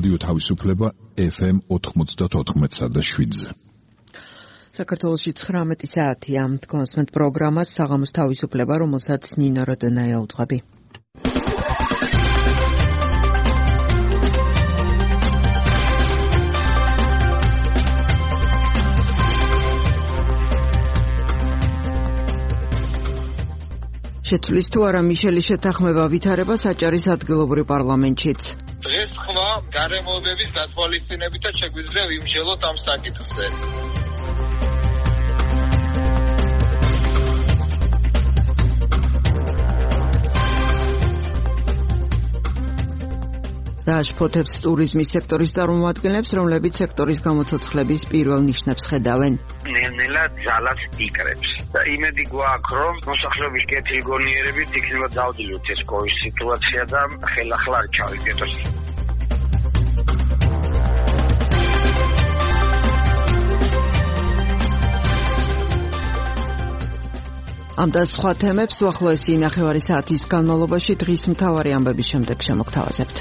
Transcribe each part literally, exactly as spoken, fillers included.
რადიო თავისუფლება ეფ ემ ოთხმოცდაოთხ და შვიდზე. საქართველოში ცხრამეტი საათია. კონსმენტ პროგრამას საღამოს თავისუფლება, რომელსაც ნინო როდონაია უძღვები. შეცვლის თუ არა მიშელის შეთანხმება ვითარება საჭარის ადგილობრივ პარლამენტშიც. დღეს ხმა გარემოებების გათვალისწინებითაც შეგვიძლია ვიმსჯელოთ ამ საკითხზე. დააშფოთებს ტურიზმის სექტორის წარმომადგენლებს, რომლებიც სექტორის გამოცოცხლების პირველ ნიშნებს ხედავენ. ნელ-ნელა ძალას იკრებს და იმედი გვაქვს, რომ მოსახლეობის კეთილგონიერებით იქნება დავდილოთ ეს კოვის სიტუაცია და ხელახლა არ ჩავიგეთოს. ამ და სხვა თემებს უახლოესი ნახევარი საათის განმავლობაში დღის მთავარი ამბების შემდეგ შემოგთავაზებთ.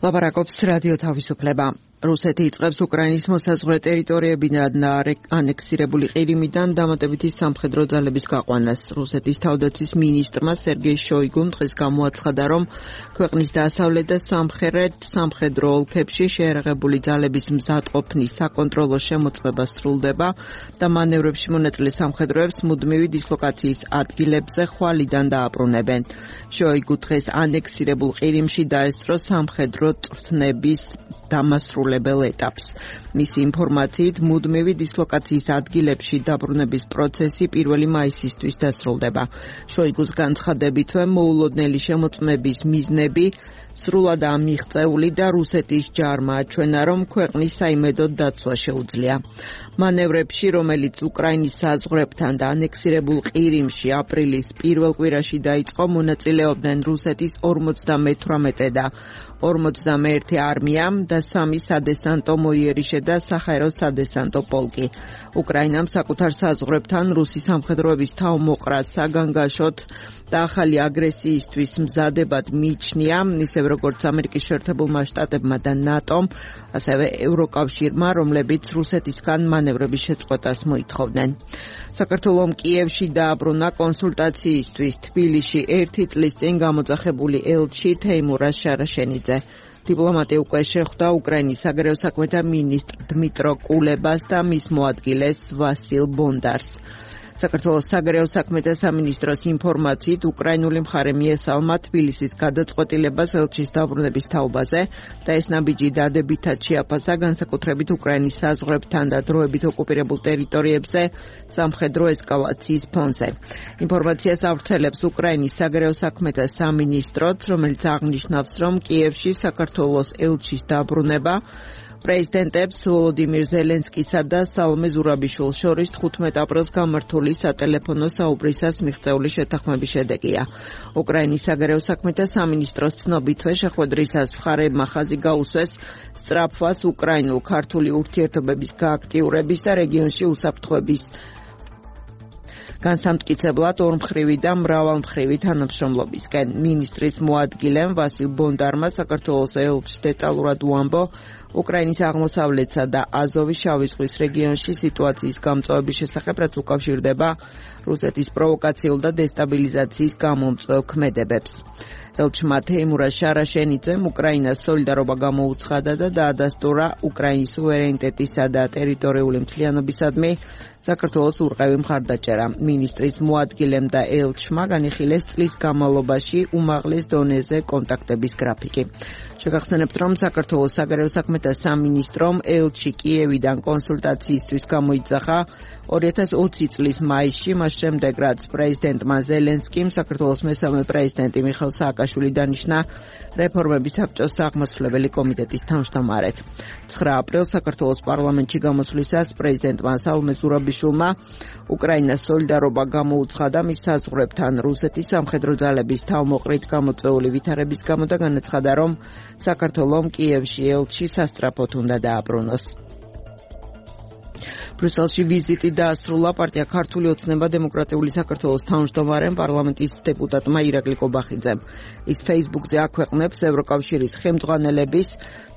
ლაპარაკობს რადიო თავისუფლება. რუსეთი იწყებს უკრაინის მოსაზღვრე ტერიტორიებიდან და ანექსირებული ყირიმიდან დამატებითი სამხედრო ძალების გაყვანას. რუსეთის თავდაცვის მინისტრმა სერგეი შოიგუმ დღეს გამოაცხადა, რომ ქვეყნის დასავლეთ და სამხრეთ სამხედრო ოლქებში შეერაღებული ძალების მზადყოფნის საკონტროლო შემოწმება სრულდება და მანევრებში მონაწილე სამხედროებს მუდმივი დისლოკაციის ადგილებზე ხვალიდან დააბრუნებენ. შოიგუ დღეს ანექსირებულ ყირიმში დაესწრო სამხედრო წვრთნების დამასრულებელ ეტაპს. მისი ინფორმაციით, მუდმივი დისლოკაციის ადგილებში დაბრუნების პროცესი პირველი მაისისთვის დასრულდება. შოიგუს განცხადებითვე მოულოდნელი შემოწმების მიზნები სრულადაა მიღწეული და რუსეთის ჯარმა აჩვენა, რომ ქვეყნის საიმედოდ დაცვა შეუძლია. მანევრებში, რომელიც უკრაინის საზღვრებთან და ანექსირებულ ყირიმში აპრილის პირველ კვირაში დაიწყო, მონაწილეობდნენ რუსეთის ორმოცდამეთვრამეტე და ორმოცდამეერთე არმია და სამი სადესანტო მოიერიშე და საჰაერო სადესანტო პოლკი. უკრაინამ საკუთარ საზღვრებთან რუსი სამხედროების თავმოყრა საგანგაშოდ და ახალი აგრესიისთვის მზადებად მიიჩნია, ისევ როგორც ამერიკის შეერთებულმა შტატებმა და ნატომ, ასევე ევროკავშირმა, რომლებიც რუსეთისგან მანევრების შეწყვეტას მოითხოვდნენ. საქართველომ კიევში დააბრუნა კონსულტაციისთვის თბილისში ერთი წლის წინ გამოძახებული ელჩი თეიმურაზ შარაშენიძე. დიპლომატი უკვე შეხვდა უკრაინის საგარეო საქმეთა მინისტრ დმიტრო კულებას და მის მოადგილეს ვასილ ბონდარს. საქართველოს საგარეო საქმეთა სამინისტროს ინფორმაციით, უკრაინული მხარე მიესალმა თბილისის გადაწყვეტილებას ელჩის დაბრუნების თაობაზე და ეს ნაბიჯი დადებითად შეაფასა განსაკუთრებით უკრაინის საზღვრებთან და დროებით ოკუპირებულ ტერიტორიებზე სამხედრო ესკალაციის ფონზე. ინფორმაციას ავრცელებს უკრაინის საგარეო საქმეთა სამინისტროც, რომელიც აღნიშნავს, რომ კიევში საქართველოს ელჩის დაბრუნება პრეზიდენტებს ვოლოდიმირ ზელენსკისა და სალომე ზურაბიშვილს შორის თხუთმეტ აპრილს გამართული სატელეფონო საუბრისას მიღწეული შეთანხმების შედეგია. უკრაინის საგარეო საქმეთა სამინისტროს ცნობითვე შეხვედრისას მხარეებმა ხაზი გაუსვეს სწრაფვას უკრაინულ-ქართული ურთიერთობების გააქტიურების და რეგიონში უსაფრთხოების განსამტკიცებლად ორმხრივი და მრავალმხრივი თანამშრომლობისკენ. მინისტრის მოადგილემ ვასილ ბონდარმა საქართველოს ელჩს დეტალურად უამბო უკრაინის აღმოსავლეთსა და აზოვის შავი ზღვის რეგიონში სიტუაციის გამწვავების შესახებ, რაც უკავშირდება რუსეთის პროვოკაციულ და დესტაბილიზაციის გამომწვევ ქმედებებს. ელჩმა თეიმურაზ შარაშენიძემ უკრაინას სოლიდარობა გამოუცხადა და დაადასტურა უკრაინის სუვერენიტეტისა და ტერიტორიული მთლიანობისადმი საქართველოს ურყევი მხარდაჭერა. მინისტრის მოადგილემ და ელჩმა განიხილეს წლის განმავლობაში უმაღლეს დონეზე კონტაქტების გრაფიკი. შეგახსენებთ, რომ საქართველოს საგარეო საქმეთა სამინისტრომ ელჩი კიევიდან კონსულტაციისთვის გამოიძახა ორი ათას ოცი წლის მაისში, მას შემდეგ რაც პრეზიდენტმა ზელენსკიმ საქართველოს მესამე პრეზიდენტი მიხეილ სააკაშვილი დანიშნა რეფორმების საბჭოს აღმასრულებელი კომიტეტის თავმჯდომარედ. ცხრა აპრილს საქართველოს პარლამენტში გამოსვლისას პრეზიდენტმა სალომე ზურაბიშვილმა უკრაინას სოლიდარობა გამოუცხადა მის საზღვრებთან რუსეთის სამხედრო ძალების თავმოყრით გამოწვეული ვითარების გამო და განაცხადა, რომ საქართველომ კიევში ელჩი სასწრაფოდ უნდა დააბრუნოს. ბრიუსელში ვიზიტი დაასრულა პარტია ქართული ოცნება დემოკრატიული საქართველოს თავმჯდომარემ პარლამენტის დეპუტატმა ირაკლი კობახიძემ. ის Facebook-ზე აქვეყნებს ევროკავშირის ხელმძღვანელების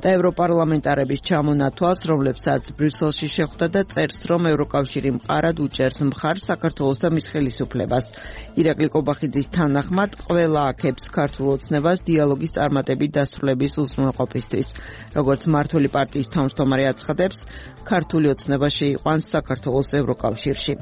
და ევროპარლამენტარების ჩამონათვალს, რომლებსაც ბრიუსელში შეხვდა და წერს, რომ ევროკავშირი მყარად უჭერს მხარს საქართველოს და მის ხელისუფლებას. ირაკლი კობახიძის თანახმად, ყველა აქებს ქართულ ოცნებას დიალოგის წარმატებით დასრულების უზრუნველყოფისთვის. როგორც მმართველი პარტიის თავმჯდომარე აცხადებს, ქართული ოცნება შეიყვანს საქართველოს ევროკავშირში.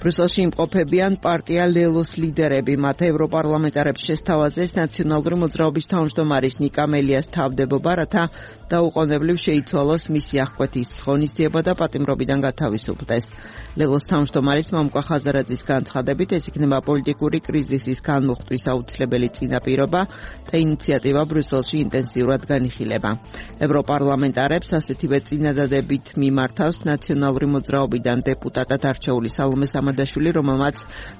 ბრიუსელში იმყოფებიან პარტია ლელოს ლიდერები, მათ ევროპარლამენტარებს შესთავაზეს ნაციონალური მოძრაობის თავმჯდომარის ნიკა მელიას თავდებობა, რათა დაუყოვნებლივ შეიცვალოს მისი აღკვეთის ღონისძიება და პატიმრობიდან გათავისუფლდეს. ლელოს თავმჯდომარის მამუკა ხაზარაძის განცხადებით, ეს იქნება პოლიტიკური კრიზისის განმუხტვის აუცილებელი წინაპირობა და ინიციატივა ბრიუსელში ინტენსიურად განიხილება. ევროპარლამენტარებს ასეთივე წინადადებით მიმართავს ნაციონალური მოძრაობიდან დეპუტატად არჩეული სალომე სამადაშვილი, რომელმაც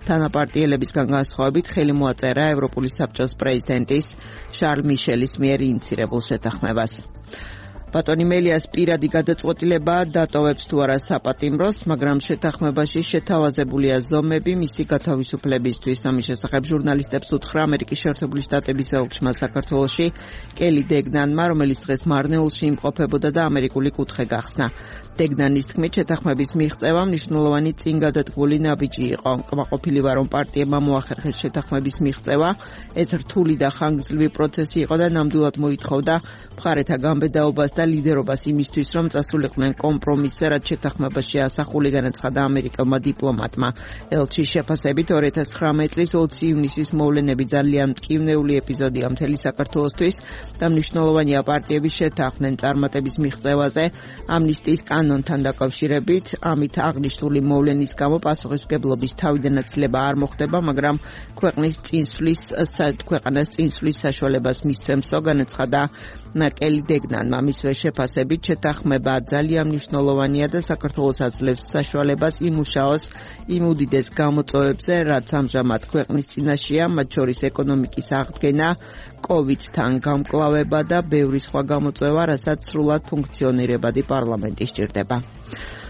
თანაპარტიელებისგან განსხვავებით ხელი მოაწერა ევროპული საბჭოს პრეზიდენტის შარლ მიშელის მიერ ინიცირებულ შეთანხმებას. ბატონი მელიას პირადი გადაწყვეტილება დატოვებს თუ არა საპატიმროს, მაგრამ შეთანხმებაში შეთავაზებულია ზომები მისი გათავისუფლებისთვის. ამის შესახებ ჟურნალისტებს უთხრა ამერიკის შეერთებული შტატების ელჩმა საქართველოში კელი დეგნანმა, რომელიც დღეს მარნეულში იმყოფებოდა და ამერიკული კუთხე გახსნა. დეგნანის თქმით, შეთანხმების მიღწევა მნიშვნელოვანი წინგადადგმული ნაბიჯი იყო. კმაყოფილი ვარ, რომ პარტიებმა მოახერხეს შეთანხმების მიღწევა. ეს რთული და ხანგრძლივი პროცესი იყო და ნამდვილად მოითხოვდა მხარეთა გამბედაობას და ლიდერობას იმისთვის, რომ წასულიყვნენ კომპრომისზე, რაც შეთანხმებაში ასახული, განაცხადა ამერიკელმა დიპლომატმა. ელჩის შეფასებით, ორი ათას ცხრამეტი წლის ოცი ივნისის მოვლენები ძალიან მტკივნეული ეპიზოდია მთელი საქართველოსთვის და მნიშვნელოვანია პარტიების შეთანხმდნენ წარმატების მიღწევაზე ამნისტიის კანონთან დაკავშირებით. ამით აღნიშნული მოვლენის გამო პასუხისმგებლობის თავიდანაცილება არ მოხდება, მაგრამ ქვეყნის წინსვლის ქვეყანას წინსვლის საშუალებას მისცემსო, განაცხადა კელი დეგნანმა. მისვე შეფასებით, შეთანხმება ძალიან მნიშვნელოვანია და საქართველოს აძლევს საშუალებას იმუშაოს იმ უდიდეს გამოწვევებზე, რაც ამჟამად ქვეყნის წინაშეა, მათ შორის ეკონომიკის აღდგენა, კოვიდთან გამკლავება და ბევრი სხვა გამოწვევა, რასაც სრულად ფუნქციონირებადი პარლამენტი სჭირდება.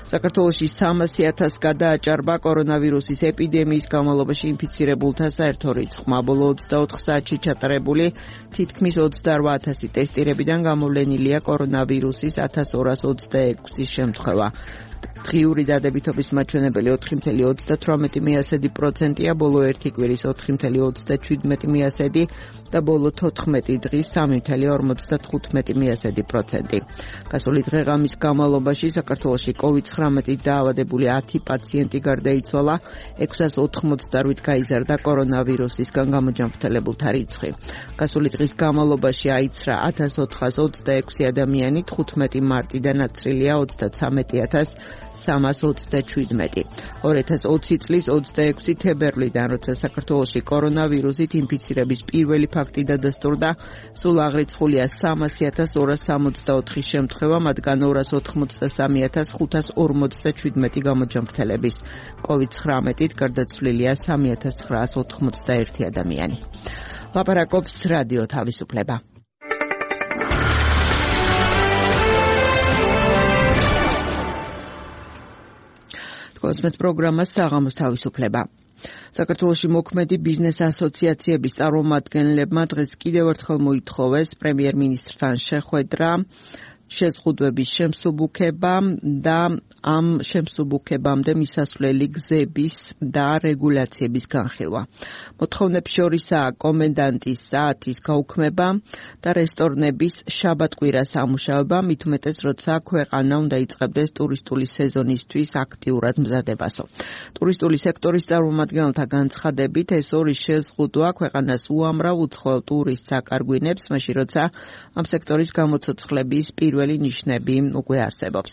საქართველოში სამასი ათასს გადააჭარბა კორონავირუსის ეპიდემიის განმავლობაში ინფიცირებულთა საერთო რიცხვმა. ბოლო ოცდაოთხ საათში ჩატარებული თითქმის ოცდარბა ათასი ტესტირებიდან გამოვლენილია კორონავირუსის ათას ორას ოცდაექვსი შემთხვევა. დღიური დადებითობის მაჩვენებელი ოთხი წელი ოცდათვრამეტი მიასედი პროცენტია, ბოლო ერთი კვირის ოთხი წელი ოცდაჩვიდმეტი მიასედი და ბოლო თოთხმეტი დღის სამი წელი ორმოცდათხუთმეტი მიასედი პროცენტი. გასული დღე-ღამის განმავლობაში საქართველოში კოვიდ ცხრამეტით დაავადებული ათი პაციენტი გარდაიცვალა, ექვსას ოთხმოცდაოთხით გაიზარდა კორონავირუსისგან გამოჯანმრთელებულთა რიცხვი. გასული დღის განმავლობაში აიცრა ათას ოთხას ოცდაექვსი ადამიანი, თხუთმეტი მარტიდან აცრილია ოცდათვრამეტი ათას სამას ოცდაჩვიდმეტი. ორი ათას ოცი წლის ოცდაექვსი თებერვლიდან, როცა საქართველოში კორონავირუსით ინფიცირების პირველი ფაქტი დადასტურდა, სულ აღრიცხულია სამასი ათას ორას სამოცდაოთხი შემთხვევა, მათგან ორას ოთხმოცდასამი ათას ხუთას ორმოცდაჩვიდმეტი გამოჯანმრთელების. კოვიდ ცხრამეტით გარდაცვლილია სამი ათას ცხრაას ოთხმოცდაერთი ადამიანი. ლაპარაკობს რადიო თავისუფლება. კოსმეთ პროგრამა საღამოს თავისუფლება. საქართველოში მოქმედი ბიზნეს ასოციაციების წარმომადგენლებმა დღეს კიდევ ერთხელ მოითხოვეს პრემიერ-მინისტრთან შეხვედრა, შეზღუდვების შემსუბუქება და ამ შემსუბუქებამდე მისასვლელი გზების და რეგულაციების განხილვა. მოთხოვნებს შორისაა კომენდანტის საათის გაუქმება და რესტორნების შაბათ-კვირას ამუშავება, მით უმეტეს როცა ქვეყანა უნდა იწყებდეს ტურისტული სეზონისთვის აქტიურად მზადებასო. ტურისტული სექტორის წარმომადგენელთა განცხადებით, ეს ორი შეზღუდვა ქვეყანას უამრავ უცხოელ ტურისტს აკარგვინებს, მაშინ როცა ამ სექტორის გამოცოცხლების პირველი ნიშნები უკვე არსებობს.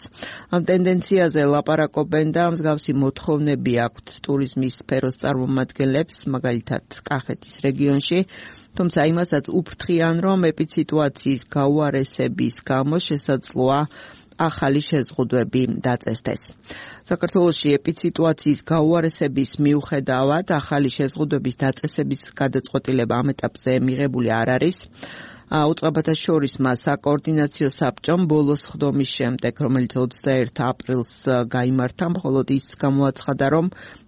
ამ ტენდენციაზე ლაპარაკობენ და მსგავსი მოთხოვნები აქვთ ტურიზმის სფეროს წარმომადგენლებს, მაგალითად კახეთის რეგიონში, თუმცა იმასაც უფრთხიან, რომ ეპიდსიტუაციის გაუარესების გამო შესაძლოა ახალი შეზღუდვები დაწესდეს. საქართველოში ეპიდსიტუაციის გაუარესების მიუხედავად ახალი შეზღუდვების დაწესების გადაწყვეტილება ამ ეტაპზე მიღებული არ არის. უწყებათა შორის მას საკოორდინაციო საბჭომ ბოლოს ხდომის შემდეგ, რომელიც ოცდაერთი აპრილს გაიმართა, მხოლოდ ის გამოაცხადა, რომ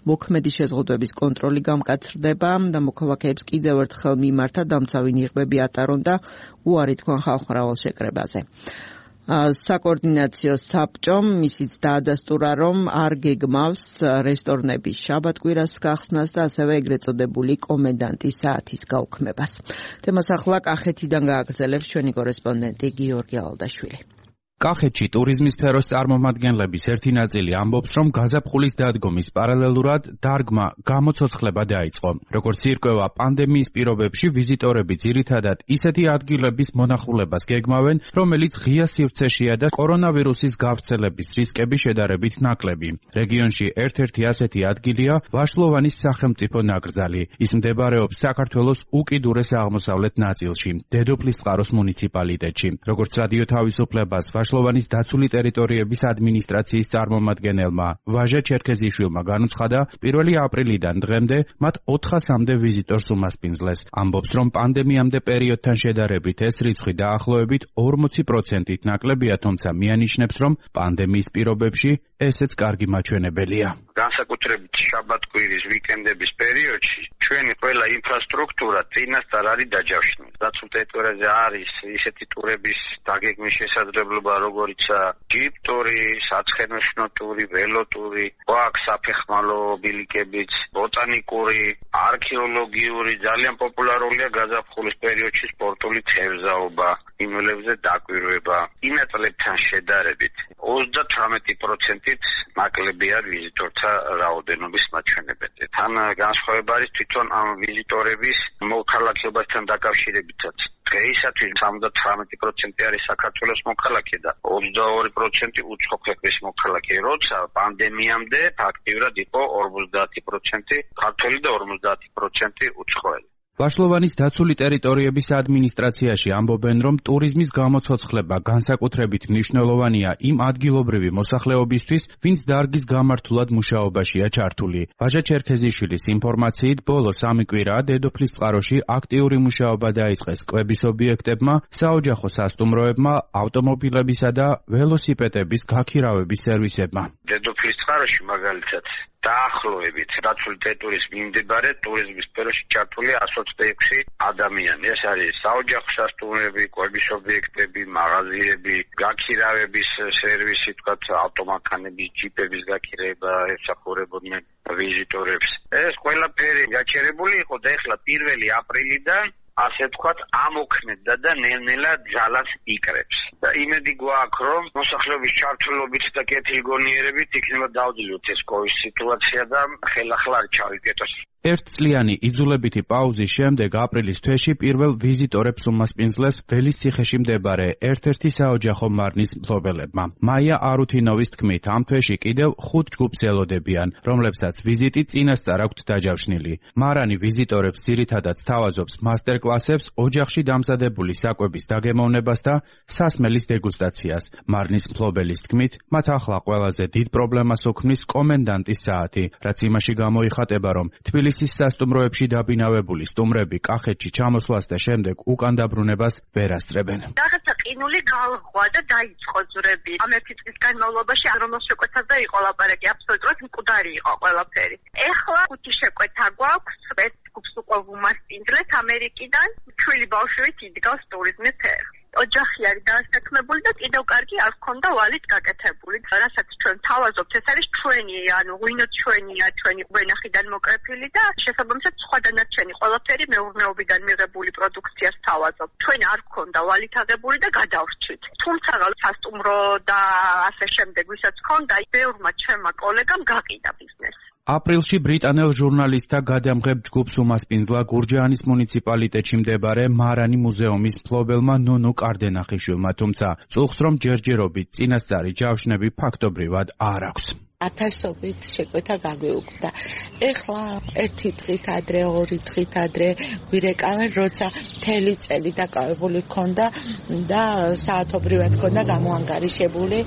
მოქმედი შეზღუდვების კონტროლი გამკაცრდება და მოქალაქეებს კიდევ ერთხელ მიმართა დამცავი ნიღბები ატარონ და უარი თქვან ხალხმრავალ შეკრებაზე. საკოორდინაციო საბჭომ ისიც დაადასტურა, რომ არ გეგმავს რესტორნების შაბათ-კვირას გახსნას და ასევე ეგრეთ წოდებული კომენდანტის საათის გაუქმებას. თემას ახლა კახეთიდან გააგრძელებს ჩვენი კორესპონდენტი გიორგი ალდაშვილი. კახეთში ტურიზმის სფეროს წარმომადგენლების ერთი ნაწილი ამბობს, რომ გაზაფხულის დადგომის პარალელურად დარგმა გამოცოცხლება დაიწყო. როგორც ირკვევა, პანდემიის პირობებში ვიზიტორები ძირითადად ისეთი ადგილების მონახულებას გეგმავენ, რომელიც ღია სივრცეშია და კორონავირუსის გავრცელების რისკები შედარებით ნაკლები. რეგიონში ერთ-ერთი ასეთი ადგილია ვაშლოვანის სახელმწიფო ნაკრძალი. ის მდებარეობს საქართველოს უკიდურეს აღმოსავლეთ ნაწილში, დედოფლისწყაროს მუნიციპალიტეტში. როგორც რადიო თავისუფლებას ვაშლოვანის დაცული ტერიტორიების ადმინისტრაციის წარმომადგენელმა ვაჟა ჩერქეზიშვილმა განუცხადა, პირველი აპრილიდან დღემდე მათ ოთხასამდე ვიზიტორს უმასპინძლეს. ამბობს, რომ პანდემიამდე პერიოდთან შედარებით ეს რიცხვი დაახლოებით ორმოცი პროცენტით ნაკლებია, თუმცა მიანიშნებს, რომ პანდემიის პირობებში ესეც კარგი მაჩვენებელია. განსაკუთრებით შაბათ-კვირის ვიკენდების პერიოდში ჩვენი ყველა ინფრასტრუქტურა წინასწარ არის დაჯავშნილი. დაცულ ტერიტორიაზე არის ისეთი ტურების დაგეგმვის შესაძლებლობა, როგორიცაა ჯიპტური, საცხენოსნო ტური, ველოტური, გვაქვს საფეხმავლო ბილიკებიც, ბოტანიკური, არქეოლოგიური, ძალიან პოპულარულია გაზაფხულის პერიოდში სპორტული თევზაობა, იმელებზე დაკვირვება. იმ წლებთან შედარებით ოცდათვრამეტი პროცენტით ნაკლებია ვიზიტორთა რაოდენობის მაჩვენებელი. თან განსხვავება არის თვითონ ამ ვიზიტორების მოქალაქეობასთან დაკავშირებითაც. დღეისათვის ოცდათვრამეტი პროცენტი არის საქართველოს მოქალაქე და ოცდაორი პროცენტი უცხო ქვეყნის მოქალაქე, როცა პანდემიამდე ფაქტიურად იყო ორმოცდაათი პროცენტი ქართველი და ორმოცდაათი პროცენტი უცხოელი. ვაშლოვანის დაცული ტერიტორიების ადმინისტრაციაში ამბობენ, რომ ტურიზმის გამოცოცხლება განსაკუთრებით მნიშვნელოვანია იმ ადგილობრივი მოსახლეობისთვის, ვინც დარგის გამართულად მუშაობაშია ჩართული. ვაჟა ჩერქეზიშვილის ინფორმაციით, ბოლო სამი კვირაა დედოფლისწყაროში აქტიური მუშაობა დაიწყეს კვების ობიექტებმა, საოჯახო სასტუმროებმა, ავტომობილებისა და ველოსიპედების გაქირავების სერვისებმა. დედოფლისწყაროში მაგალითად დაახლოებით დაცული ტერიტორიის მიმდებარე ტურიზმის სფეროში ჩართული εκατს ოცდაექვსი ადამიანი. ეს არის საოჯახო სასტუმროები, კვების ობიექტები, მაღაზიები, გაქირავების სერვისი, თქვათ ავტომანქანების, ჯიპების გაქირავება ემსახურებოდნენ ვიზიტორებს. ეს ყველაფერი გაჩერებული იყო და ეხლა პირველი აპრილიდან ასე თქვათ ამოქმედდა და ნელ-ნელა ძალას იკრებს. და იმედი გვაქვს, რომ მოსახლეობის ჩართულობით და კეთილგონიერებით იქნება დავძლიოთ ეს კოვის სიტუაცია და ხელახლა არ ჩავიკეტოს. ერთწლიანი იძულებითი პაუზის შემდეგ აპრილის თვეში პირველ ვიზიტორებს უმასპინძლეს ველის ციხეში მდებარე ერთ-ერთი საოჯახო მარნის მფლობელებმა. მაია არუთინოვის თქმით, ამ თვეში კიდევ ხუთ ჯგუფს ელოდებიან, რომლებსაც ვიზიტი წინასწარ აქვთ დაჯავშნილი. მარანი ვიზიტორებს ძირითადად სთავაზობს მასტერკლასებს, ოჯახში დამზადებული საკვების დაგემოვნებას და სასმელის დეგუსტაციას. მარნის მფლობელის თქმით, მათ ახლა ყველაზე დიდ პრობლემას უქმნის კომენდანტის საათი, რაც იმაში გამოიხატება, რომ თბილისის სასტუმროებში დაბინავებული სტუმრები კახეთში ჩამოსვლას და შემდეგ უკან დაბრუნებას ვერ ასწრებენ. რაღაცა ყინული გააღვა და დაიწყო ძვრები. ამ ერთი წლის განმავლობაში რომელ შეკვეთაზე იყო ლაპარაკი, აბსოლუტურად მკვდარი იყო ყველაფერი. ეხლა ხუთი შეკვეთა გვაქვს, ეს ჯგუფს უკვე ვუმასპინძლეთ ამერიკიდან, ჩვილი ბავშვით იდგავს ტურიზმის ფერხს. ოჯახი არის დასაქმებული და კიდევ კარგი არ ჰქონდა ვალით გაკეთებული. რასაც ჩვენ თავაზობთ, ეს არის ჩვენი, ანუ ღვინო ჩვენია, ჩვენი ვენახიდან მოკრეფილი და შესაბამისად სხვა დანარჩენი ყველაფერი მეურნეობიდან მიღებული პროდუქციას თავაზობთ. ჩვენ არ ჰქონდა ვალით აღებული და გადავრჩით. თუმცა სასტუმრო და ასე შემდეგ, ვისაც ჰქონდა, ბევრმა ჩემმა კოლეგამ გაყიდა ბიზნესი. აპრილში ბრიტანელ ჟურნალისტთა გადამღებ ჯგუფს უმასპინძლა გურჯაანის მუნიციპალიტეტში მდებარე მარანი მუზეუმის მფლობელმა ნონო კარდენახიშვილმა, თუმცა წუხს რომ ჯერჯერობით წინასწარი ჯავშნები ფაქტობრივად არ აქვს. ათასობით შეკვეთა გაგვეუქმდა. ეხლა ერთი დღით ადრე, ორი დღით ადრე ვირეკავენ, როცა მთელი წელი დაკავებული ქონდა და საათობრივად ქონდა გამოანგარიშებული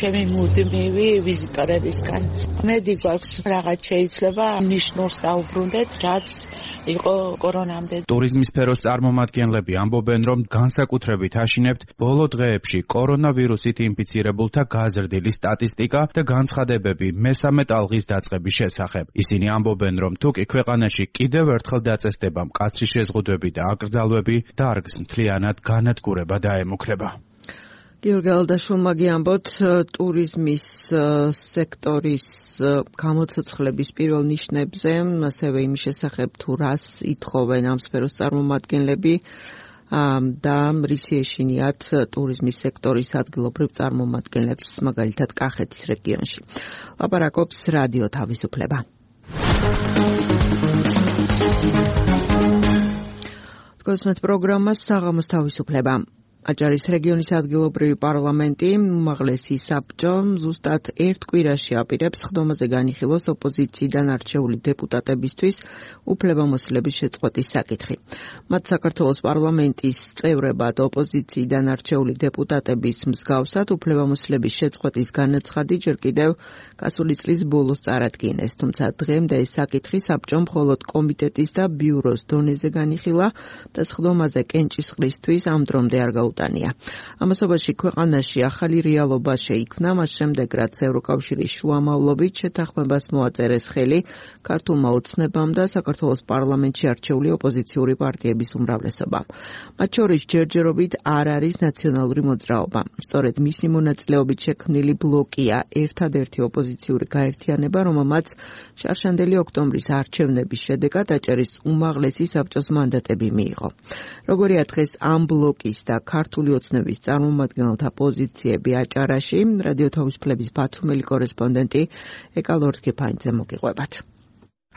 ჩემი მუდმივი ვიზიტორებისგან. მედი გვაქვს რაღაც შეიძლება ნიშნულს დაუბრუნდეთ, რაც იყო კორონამდე. ტურიზმის სფეროს წარმომადგენლები ამბობენ, რომ განსაკუთრებით აშინებთ ბოლო დღეებში კორონავირუსით ინფიცირებულთა გაზრდილი სტატისტიკა და განცხადებები მესამე ტალღის დაწყების შესახებ. ისინი ამბობენ, რომ თუკი ქვეყანაში კიდევ ერთხელ დაწესდება მკაცრი შეზღუდვები და აკრძალვები, დარგს მთლიანად განადგურება დაემუქრება. გიორგი ალდაშვილმა გიამბოთ, ტურიზმის სექტორის გამოცოცხლების პირველ ნიშნებზე, ასევე იმ შესახებ თუ რას ითხოვენ ამ სფეროს წარმომადგენლები და რისი ეშინიათ ტურიზმის სექტორის ადგილობრივ წარმომადგენლებს, მაგალითად კახეთის რეგიონში. ლაპარაკობს რადიო თავისუფლება. გოსმეთ პროგრამა საღამოს თავისუფლება. აჭარის რეგიონის ადგილობრივი პარლამენტი უმაღლესი საბჭო ზუსტად ერთ კვირაში აპირებს ხდომაზე განიხილოს ოპოზიციიდან არჩეული დეპუტატებისთვის უფლებამოსილების შეწყვეტის საკითხი. მათ საქართველოს პარლამენტის წევრებად ოპოზიციიდან არჩეული დეპუტატების მსგავსად უფლებამოსილების შეწყვეტის განაცხადი ჯერ კიდევ გასული წლის ბოლოს წარადგინეს, თუმცა დღემდე ეს საკითხი საბჭომ მხოლოდ კომიტეტის და ბიუროს დონეზე განიხილა და ხდომაზე კენჭისყრისთვის ამ დრომდე არ გაუტანია. ამასობაში ქვეყანაში ახალი რეალობა შეიქმნა, მას შემდეგ რაც ევროკავშირის შუამავლობით შეთანხმებას მოაწერეს ხელი ქართულმა ოცნებამ და საქართველოს პარლამენტში არჩეული ოპოზიციური პარტიების უმრავლესობამ. მათ შორის ჯერჯერობით არ არის ნაციონალური მოძრაობა. სწორედ მისი მონაწილეობით შექმნილი ბლოკია ერთადერთი ოპოზიციური გაერთიანება, რომელმაც შარშანდელი ოქტომბრის არჩევნების შედეგად აჭარის უმაღლესი საბჭოს მანდატები მიიღო. როგორია დღეს ამ ბლოკის და ქართული ოცნების წარმომადგენელთა პოზიციები აჭარაში, რადიო თავისუფლების ბათუმელი კორესპონდენტი ეკალორთქიფანიძე მოგიყვებათ.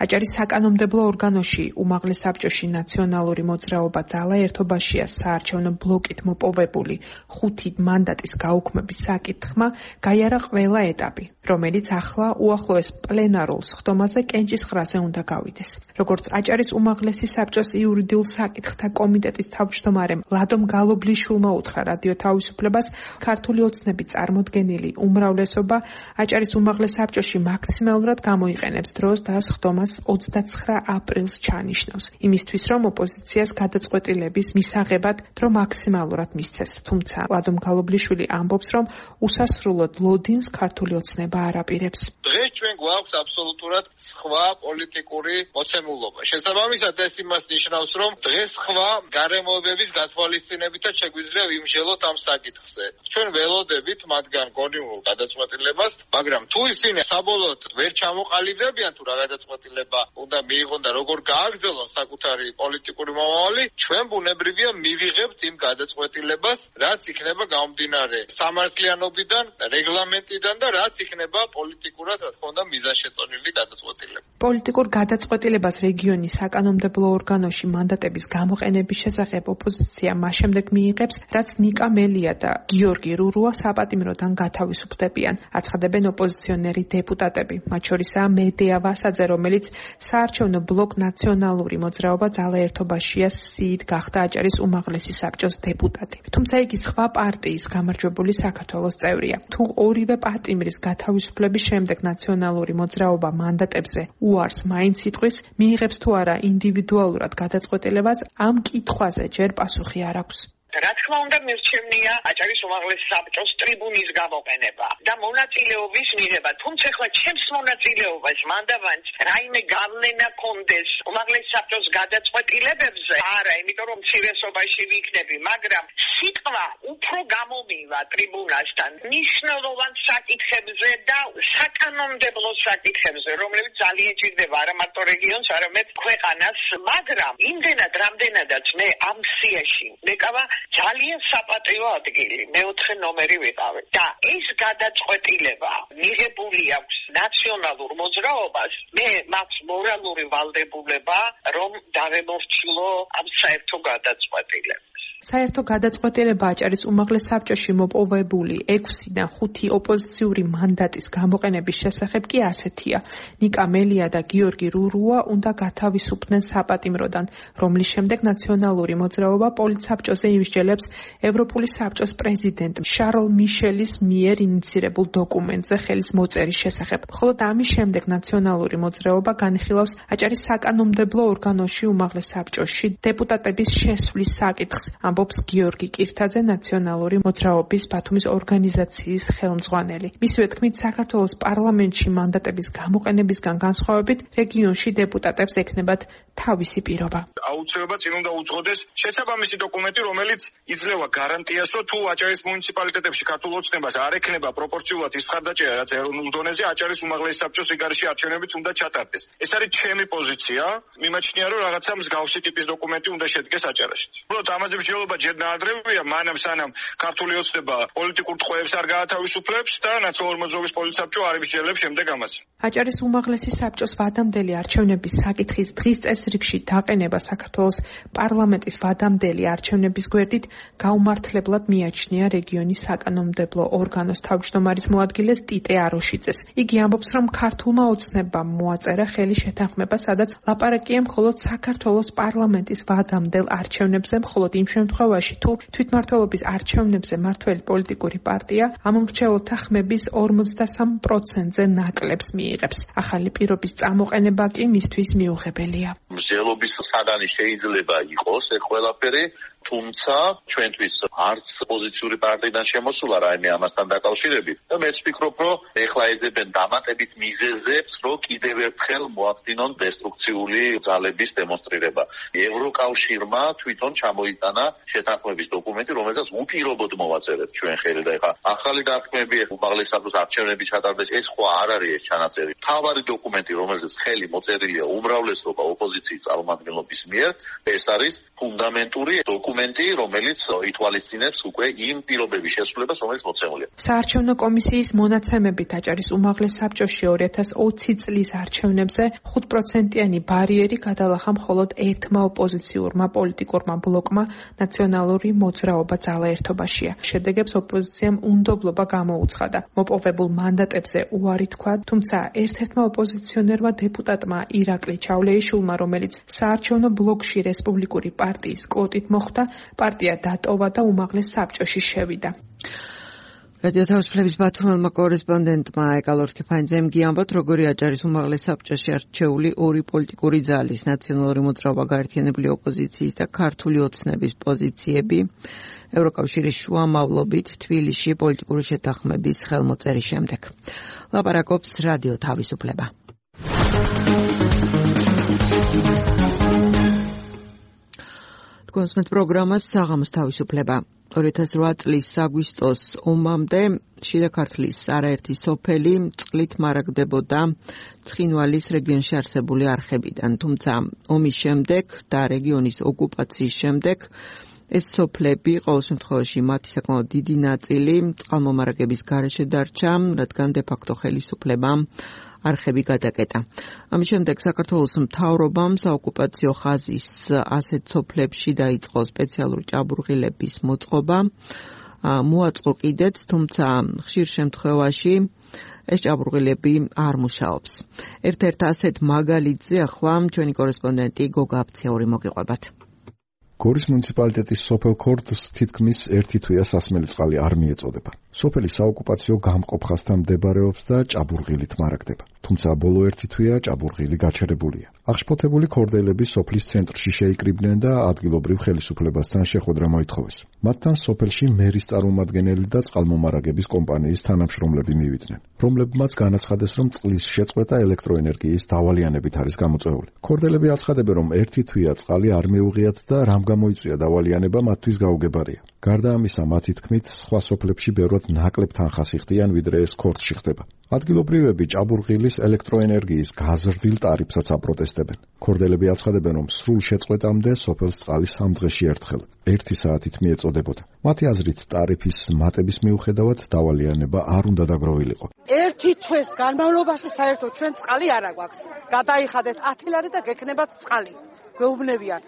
აჭარის საკანონმდებლო ორგანოში უმაღლეს საბჭოში ნაციონალური მოძრაობა ძალა ერთობაშია საარჩევნო ბლოკით მოპოვებული ხუთი მანდატის გაუქმების საკითხმა გაიარა ყველა ეტაპი, რომელიც ახლა უახლოეს პლენარულ სხდომაზე კენჭისყრაზე უნდა გავიდეს. როგორც აჭარის უმაღლესი საბჭოს იურიდიულ საკითხთა კომიტეტის თავმჯდომარემ ლადომ გალობლიშვილმა უთხრა რადიო თავისუფლებას, ქართული ოცნების წარმოდგენილი უმრავლესობა აჭარის უმაღლეს საბჭოში მაქსიმალურად გამოიყენებს დროს და სხდომას ოცდაცხრა აპრილს ჩანიშნავს, იმისთვის რომ ოპოზიციას გადაწყვეტილების მისაღებად დრო მაქსიმალურად მისცეს. თუმცა ლადომ გალობლიშვილი ამბობს, რომ უსასრულოდ ლოდინს ქართული ოცნება არ აპირებს. დღეს ჩვენ გვაქვს აბსოლუტურად სხვა პოლიტიკური მოცემულობა. შესაბამისად ეს იმას ნიშნავს, რომ დღეს სხვა გარემოებების გათვალისწინებითაც შეგვიძლია ვიმსჯელოთ ამ საკითხზე. ჩვენ ველოდებით მათგან გონივრულ გადაწყვეტილებას, მაგრამ თუ ისინი საბოლოოდ ვერ ჩამოყალიბდებიან თუ რა გადაწყვეტილება უნდა მიიღონ და როგორ გააგრძელონ საკუთარი პოლიტიკური მომავალი, ჩვენ ბუნებრივია მივიღებთ იმ გადაწყვეტილებას, რაც იქნება გამომდინარე სამართლიანობიდან, რეგლამენტიდან და რაც იქნება პოლიტიკურად, რა თქმა უნდა, მიზანშეწონილი გადაწყვეტილება. პოლიტიკურ გადაწყვეტილებას რეგიონის საკანონმდებლო ორგანოში მანდატების გამოყენების შესახებ ოპოზიცია მას შემდეგ მიიღებს, რაც ნიკა მელია და გიორგი რურუა საპატიმროდან გათავისუფლდებიან, აცხადებენ ოპოზიციონერი დეპუტატები, მათ შორისაა მედეა ვასაძე, რომელიც საარჩევნო ბლოკ ნაციონალური მოძრაობა ძალა ერთობაშია სიით გახდა აჭარის უმაღლესი საბჭოს დეპუტატი. თუმცა იგი სხვა პარტიის გამარჯვებული საქართველოს წევრია. თუ ორივე პატიმრის გათავისუფლების შემდეგ ნაციონალური მოძრაობა მანდატებზე უარს მაინც იტყვის, მიიღებს თუ არა ინდივიდუალურად გადაწყვეტილებას, ამ კითხვაზე ჯერ პასუხი არ აქვს. რა თქმა უნდა მირჩევნია აჭარის უმაღლეს საბჭოს ტრიბუნის გამოყენება და მონაწილეობის მიღება. თუმცა ახლა ჩემს მონაწილეობას მანდავანს რაიმე გავლენა კონდეს უმაღლეს საბჭოს გადაწყვეტილებებზე? არა, იმიტომ რომ მცირესობაში ვიქნები, მაგრამ სიტყვა უფრო გამომივა ტრიბუნასთან მნიშვნელოვან საკითხებზე და საკანონმდებლო საკითხებზე, რომლებიც ძალიან ჭირდება არა მარტო რეგიონს, არამედ ქვეყანას, მაგრამ იმდენად რამდენადაც მე ამ სიაში მეკავა ძალიან საპატიო ადგილი, მეოთხე ნომერი ვიყავი და ეს გადაწყვეტილება მიღებული აქვს ნაციონალურ მოძრაობას, მე მაქვს მორალური ვალდებულება, რომ დავემორჩილო ამ საერთო გადაწყვეტილებას. საერთო გადაწყვეტილება აჭარის უმაღლეს საბჭოში მოპოვებული ექვსიდან ხუთი ოპოზიციური მანდატის გამოყენების შესახებ კი ასეთია. ნიკა მელია და გიორგი რურუა უნდა გათავისუფლდნენ საპატიმროდან, რომლის შემდეგ ნაციონალური მოძრაობა პოლიტსაბჭოზე იმსჯელებს ევროპული საბჭოს პრეზიდენტ შარლ მიშელის მიერ ინიცირებულ დოკუმენტზე ხელის მოწერის შესახებ. ხოლო ამის შემდეგ ნაციონალური მოძრაობა განიხილავს აჭარის საკანონმდებლო ორგანოში უმაღლეს საბჭოში დეპუტატების შესვლის საკითხს, ამბობს გიორგი კირთაძე, ნაციონალური მოძრაობის ბათუმის ორგანიზაციის ხელმძღვანელი. მისივე თქმით, საქართველოს პარლამენტში მანდატების გამოყენებისგან განსხვავებით, რეგიონში დეპუტატებს ექნებათ თავისი პირობა. აუცილებლად წინ უნდა უძღოდეს შესაბამისი დოკუმენტი, რომელიც იძლევა გარანტიას, რომ თუ აჭარის მუნიციპალიტეტებში ქართულ ოცნებას არ ექნება პროპორციულად ის მხარდაჭერა, რაც ეროვნულ დონეზე აჭარის უმაღლეს საბჭოს რიგარში არჩევნებიც უნდა ჩატარდეს. ეს არის ჩემი პოზიცია. მიმაჩნია, რომ რაღაცა მსგავსი ტიპის დოკუმენტი უნდა შედგეს აჭარაშიც. უბრალოდ ამაზე მსჯელობა ჯერ ნაადრევია, მანამ სანამ ქართული ოცნება პოლიტიკურ ტყვეებს არ გაათავისუფლებს და ნაციონალური მოძრაობის პოლიტსაბჭო არ იმსჯელებს შემდეგ ამაზე. აჭარის უმაღლესი საბჭოს ვადამდელი არჩევნების საკითხის დღის წესრიგში დაყენება საქართველოს პარლამენტის ვადამდელი არჩევნების გვერდით გაუმართლებლად მიაჩნია რეგიონის საკანონმდებლო ორგანოს თავმჯდომარის მოადგილეს ტიტე აროშიძეს. იგი ამბობს, რომ ქართულმა ოცნებამ მოაწერა ხელი შეთანხმება, სადაც ლაპარაკია მხოლოდ საქართველოს პარლამენტის ვადამდელ არჩევნებზე, მხოლოდ იმ შემთხვევაში, თუ თვითმმართველობის არჩევნებზე მართველი პოლიტიკური პარტია ამ მრჩეველთა ხმების ორმოცდასამ პროცენტზე ნაკლებს მიიღებს. ახალი პირობის წამოყენება კი მისთვის მიუღებელია. მსჯელობის საგანი შეიძლება იყოს ეს ყველაფერი, თუმცა ჩვენთვის არც ოპოზიციური პარტიიდან შემოსულა რაიმე ამასთან დაკავშირებით და მეც ვფიქრობ, რომ ეხლა ეძებენ დამატებით მიზეზებს, რომ კიდევ ერთხელ მოახდინონ დესტრუქციული ძალების დემონსტრირება. ევროკავშირმა თვითონ ჩამოიტანა შეთანხმების დოკუმენტი, რომელსაც უპირობოდ მოვაწერებთ ჩვენ ხელი და ეხლა ახალი დათქმები უმაღლეს საბჭოს არჩევნები ჩატარდეს, ეს ხო არ არის ეს ჩანაწერი. თავარი დოკუმენტი, რომელზეც ხელი მოწერილია უმრავლესობა ოპოზიციის წარმომადგენლობის მიერ, ეს არის ფუნდამენტური დოკუმენტი, რომელიც ითვალისწინებს უკვე იმ პირობების შესრულებას, რომელიც მოცემულია. საარჩევნო კომისიის მონაცემებით აჭარის უმაღლეს საბჭოში ორი ათას ოცი წლის არჩევნებზე ხუთ პროცენტიანი ბარიერი გადალახა მხოლოდ ერთმა ოპოზიციურმა პოლიტიკურმა ბლოკმა ნაციონალური მოძრაობა ძალა ერთობაშია. შედეგებს ოპოზიციამ უნდობლობა გამოუცხადა. მოპოვებულ მანდატებზე უარი თქვა, თუმცა ერთ-ერთმა ოპოზიციონერმა დეპუტატმა ირაკლი ჩავლეიშვილმა, რომელიც საარჩევნო ბლოკში რესპუბლიკური პარტიის კვოტით მოხვდა, პარტია დატოვა და უმაღლეს საბჭოში შევიდა. რადიო თავისუფლების ბათუმელმა კორესპონდენტმა ეკალორ ქიფანიძემ გიამბოთ, როგორი აჭარის უმაღლეს საბჭოში არჩეული ორი პოლიტიკური ძალის, ნაციონალური მოძრაობა, გაერთიანებული ოპოზიციის და ქართული ოცნების პოზიციები ევროკავშირის შუამავლობით თბილისში პოლიტიკური შეთანხმების ხელმოწერის შემდეგ. ლაპარაკობს რადიო თავისუფლება. თქვენს პროგრამას საღამოს თავისუფლება. ორი ათას ორი წლის აგვისტოს ომამდე შიდა ქართლის არაერთი სოფელი წყლით მარაგდებოდა ცხინვალის რეგიონში არსებული არხებიდან, თუმცა ომის შემდეგ და რეგიონის ოკუპაციის შემდეგ ეს სოფლები ყოველ შემთხვევაში მათი საკმაოდ დიდი ნაწილი წყალმომარაგების გარეშე დარჩა, რადგან დე-ფაქტო ხელისუფლებამ არხები გადაკეტა. ამის შემდეგ საქართველოს მთავრობამ საოკუპაციო ხაზის ასეთ სოფლებში დაიწყო სპეციალური ჭაბურღილების მოწყობა. მოაწყო კიდეც, თუმცა ხშირ შემთხვევაში ეს ჭაბურღილები არ მუშაობს. ერთ-ერთ ასეთ მაგალითზე ახლა ჩვენი კორესპონდენტი გოგა აფციური მოგიყვებათ. გორის მუნიციპალიტეტის სოფელ ქორდს თითქმის ერთი თვეა სასმელი წყალი არ მიეწოდება. სოფელი საოკუპაციო გამყოფხასთან მდებარეობს და ჭაბურღილით მარაგდება. თუმცა ბოლო ერთი თვეა ჭაბურღილი გაჩერებულია. აღშფოთებული ქორდელები სოფლის ცენტრში შეიკრიბნენ და ადგილობრივ ხელისუფლებასთან შეხვედრა მოითხოვეს. მათთან სოფელში მერის წარმომადგენელი და წყალმომარაგების კომპანიის თანამშრომლები მივიდნენ, რომლებმაც განაცხადეს, რომ წყლის შეწყვეტა ელექტროენერგიის დავალიანებით არის გამოწვეული. ქორდელები აცხადებენ, რომ ერთი თვეა წყალი არ მეუღიათ და რამ გამოიწვია დავალიანება მათთვის გაუგებარია. გარდა ამისა, მათი თქმით, სხვა სოფლებში ბევრად ნაკლებ თანხას იხდიან, ვიდრე ეს ქორდში ხდება. ადგილობრივები ჭაბურღილის ელექტროენერგიის გაზრდილ ტარიფსაც აპროტესტებენ. ქორდელები აცხადებენ, რომ სრულ შეწყვეტამდე სოფელს წყალი სამ დღეში ერთხელ, ერთი საათით მიეწოდებოდა. მათი აზრით, ტარიფის მატების მიუხედავად დავალიანება არ უნდა დაგროვილიყო. ერთი თვის განმავლობაში საერთოდ ჩვენ წყალი არ აგვაქვს. გადაიხადეთ ათი ლარი და გექნებათ წყალი. გვეუბნებიან,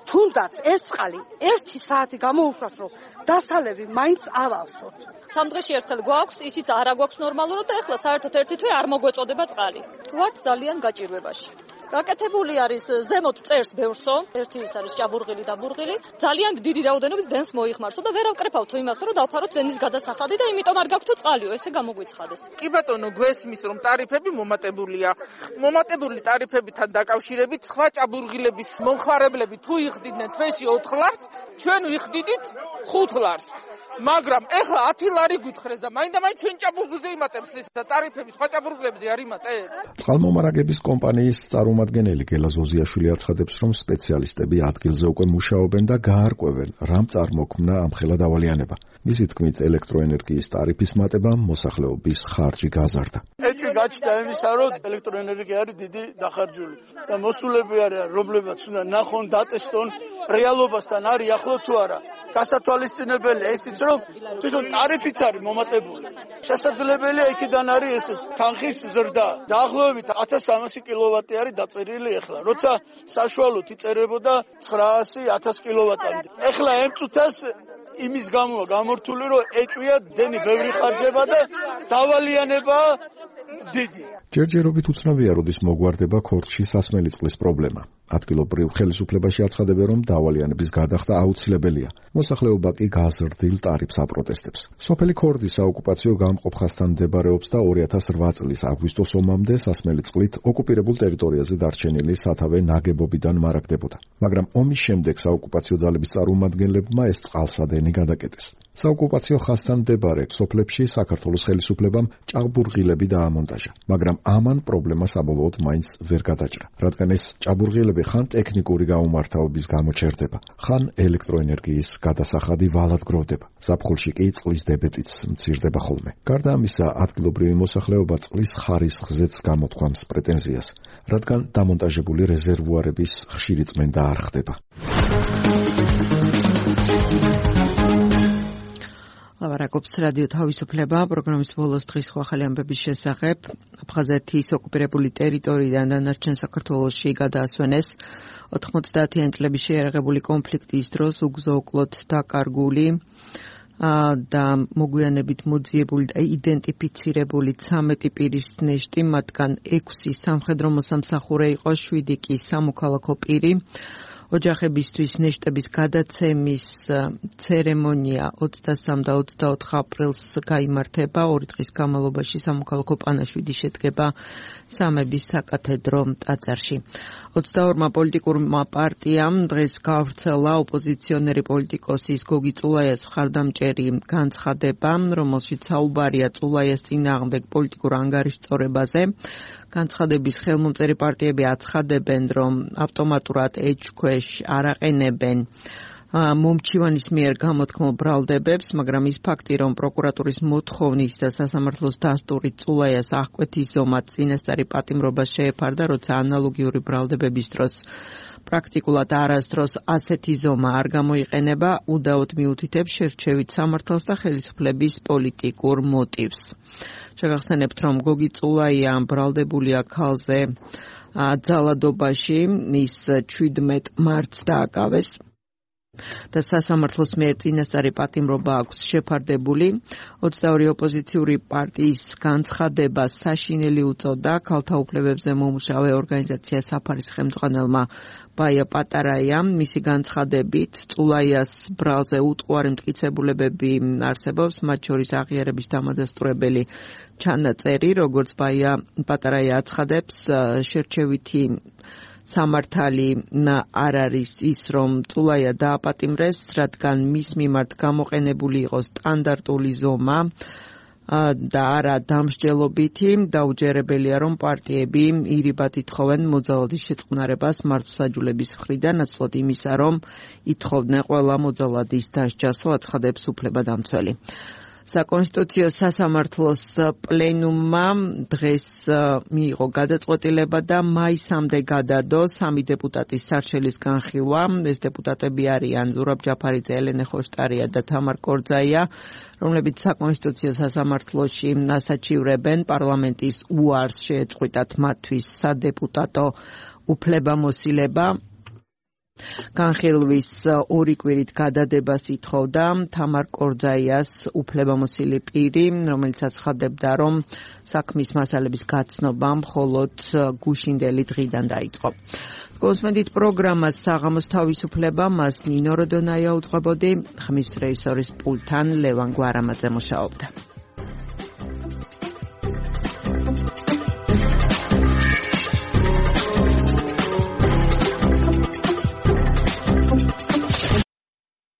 თუნდაც ეს წყალი ერთი საათი გამოუშვას, რომ დასალევი მაინც ავალსოთ. სამ დღეში ერთხელ გვაქვს, ისიც არა გვაქვს ნორმალურად და ეხლა საერთოდ ერთი თვე არ მოგვეწოდება წყალი. ვართ ძალიან გაჭირვებაში. გაკეთებული არის ზემოთ წერს ბევრსო, ერთი ის არის ჭაბურღილი და ბურღილი, ძალიან დიდი რაოდენობით დენს მოიხმარსო და ვერ ავკრეფავთ იმას, რომ დავფაროთ დენის გადასახადი და იმიტომ არ გაქვთ წყალიო, ესე გამოგვიცხადეს. კი ბატონო, გვესმის რომ ტარიფები მომატებულია. მომატებული ტარიფებთან დაკავშირებით სხვა ჭაბურღილების მომხმარებლები თუ იხდიდნენ თვეში ოთხ ლარს, ჩვენ ვიხდიდით ხუთ ლარს. მაგრამ ეხლა ათი ლარი გვითხრეს და მაინდა-მაინც ჩვენ ჭაბურღილზე იმატებს ეს ტარიფები სხვა ჭაბურღილებზე არ იმატებს. წყალმომარაგების კომპანიის წარმომადგენელი გელა ზოზიაშვილი აცხადებს, რომ სპეციალისტები ადგილზე უკვე მუშაობენ და გაარკვევენ, რამ წარმოქმნა ამხელა დავალიანება. მისი თქმით, ელექტროენერგიის ტარიფის მატებამ მოსახლეობის ხარჯი გაზარდა. ეჭვი გაჩნდა იმისა, რომ ელექტროენერგია არის დიდი დახარჯული და მოსულები არიან, რომლებიც უნდა ნახონ, დატესტონ რეალობასთან არის ახლო თუ არა. გასათვალისწინებელია ისიც, რომ თვითონ ტარიფიც არის მომატებული. შესაძლებელია იქიდან არის ესეც თანხის ზრდა. დაახლოებით ათას სამასი კილოვატი არის დაწერილი ეხლა. როცა საშუალოდ იწერებოდა ცხრაასი ათას კილოვატამდე. ეხლა ამ წუთას იმის გამოა გამორთული, რომ ეჭვია დენი ბევრი ხარჯება და დავალიანება დიდი. ჯერჯერობით უცნობია, როდის მოგვარდება ქორდში სასმელი წყლის პრობლემა. ადგილობრივ ხელისუფლებაში აცხადებენ, რომ დავალიანების გადახდა აუცილებელია. მოსახლეობა კი გაზრდილ ტარიფს აპროტესტებს. სოფელი ქორდი საოკუპაციო გამყოფხასთან მდებარეობს და ორი ათას რვა წლის აგვისტოს ომამდე სასმელი წყლით ოკუპირებულ ტერიტორიაზე დარჩენილი სათავე ნაგებობიდან მარაგდებოდა. მაგრამ ომის შემდეგ საოკუპაციო ძალების წარმომადგენლებმა ეს წყალსადენი გადაკეტეს. საოკუპაციო ხაზთან მდებარე სოფლებში საქართველოს ხელისუფლებამ ჭაბურღილები დაამონტაჟა, მაგრამ ამან პრობლემა საბოლოოდ მაინც ვერ გადაჭრა, რადგან ეს ჭაბურღილები ხან ტექნიკური გაუმართავების გამო ჩერდება, ხან ელექტროენერგიის გადასახადი ვალად გროვდება. ზაფხულში კი წყლის დებეტიც მცირდება ხოლმე. გარდა ამისა, ადგილობრივი მოსახლეობა წყლის ხარისხზეც გამოთქვამს პრეტენზიას, რადგან დამონტაჟებული რეზერვუარების ხშირი წმენდა არ ხდება. ლავარაკობს რადიო თავისუფლება, პროგრამის ბოლოს დღის ახალი ამბების შესახებ. აფხაზეთის ოკუპირებული ტერიტორიიდან დანარჩენ საქართველოში გადაასვენეს ოთხმოცდაათიანი წლების შეიარაღებული კონფლიქტის დროს უგზო-უკლოდ დაკარგული და მოგვიანებით მოძიებული და იდენტიფიცირებული ცამეტი პირის ნეშტი, მათგან ექვსი სამხედრო მოსამსახურე იყო, შვიდი კი სამოქალაქო პირი. ოჯახებისთვის ნეშტების გადაცემის ცერემონია ოცდასამ და ოცდაოთხ აპრილს გაიმართება. ორი დღის განმავლობაში სამოქალაქო პანაშვიდი შედგება სამების საკათედრო ტაძარში. ოცდაორმა პოლიტიკურმა პარტიამ დღეს გავრცელა ოპოზიციონერი პოლიტიკოსის გოგი წულაიას მხარდამჭერი განცხადება, რომელშიც საუბარია წულაიას წინააღმდეგ პოლიტიკურ ანგარიშწორებაზე. განცხადების ხელმომწერი პარტიები აცხადებენ, რომ ავტომატურად ეჭქვეშ არ აყენებენ მომჩივანის მიერ გამოთქმულ ბრალდებებს, მაგრამ ის ფაქტი, რომ პროკურატურის მოთხოვნის და სასამართლოს დასტურით წულაიას აღკვეთის ზომა წინასწარი პატიმრობას შეეფარდა, როცა ანალოგიური ბრალდებების დროს პრაქტიკულად არასდროს ასეთი ზომა არ გამოიყენება, უდაოდ მიუთითებს შერჩევით სამართალს და ხელისუფლების პოლიტიკურ მოტივს. შეგახსენებთ, რომ გოგი წულაია ბრალდებულია ქალზე ძალადობაში, ის ჩვიდმეტ მარტს დააკავეს და სასამართლოს მიერ წინასწარი პატიმრობა აქვს შეფარდებული. ოცდაორი ოპოზიციური პარტიის განცხადება საშინელი უწოდა ქალთა უფლებებზე მომუშავე ორგანიზაცია საფარის ხელმძღვანელმა ბაია პატარაიამ. მისი განცხადებით წულაიას ბრალზე უტყუარი მტკიცებულებები არსებობს, მათ შორის აღიარების დამადასტურებელი ჩანაწერი, როგორც ბაია პატარაია აცხადებს, შერჩევითი სამართალი არ არის ის, რომ წულაია დააპატიმრეს, რადგან მის მიმართ გამოყენებული იყო სტანდარტული ზომა და არა დამსჯელობითი. დაუჯერებელია, რომ პარტიები ირიბად ითხოვენ მოძალადის შეწყნარებას მართლმსაჯულების მხრიდან, ნაცვლად იმისა, რომ ითხოვდნენ ყველა მოძალადის დასჯასო, აცხადებს უფლებადამცველი. საკონსტიტუციო სასამართლოს პლენუმმა დღეს მიიღო გადაწყვეტილება და მაისამდე გადადო სამი დეპუტატის სარჩელის განხილვა. ეს დეპუტატები არიან ზურაბ ჯაფარიძე, ელენე ხოშტარია და თამარ კორძაია, რომლებიც საკონსტიტუციო სასამართლოში ასაჩივრებენ პარლამენტის უარს შეეწყვიტათ მათთვის სადეპუტატო უფლებამოსილება. განხილვის ორი კვირით გადადებას ითხოვდა თამარ კორძაიას უფლებამოსილი პირი, რომელიც აცხადებდა, რომ საქმის მასალების გაცნობა მხოლოდ გუშინდელი დღიდან დაიწყო. გოსმედით პროგრამას საღამოს თავისუფლება მას ნინო როდონაია უძღვებოდი, ხმის რეჟისორის პულტთან ლევან გვარამაძე მუშაობდა.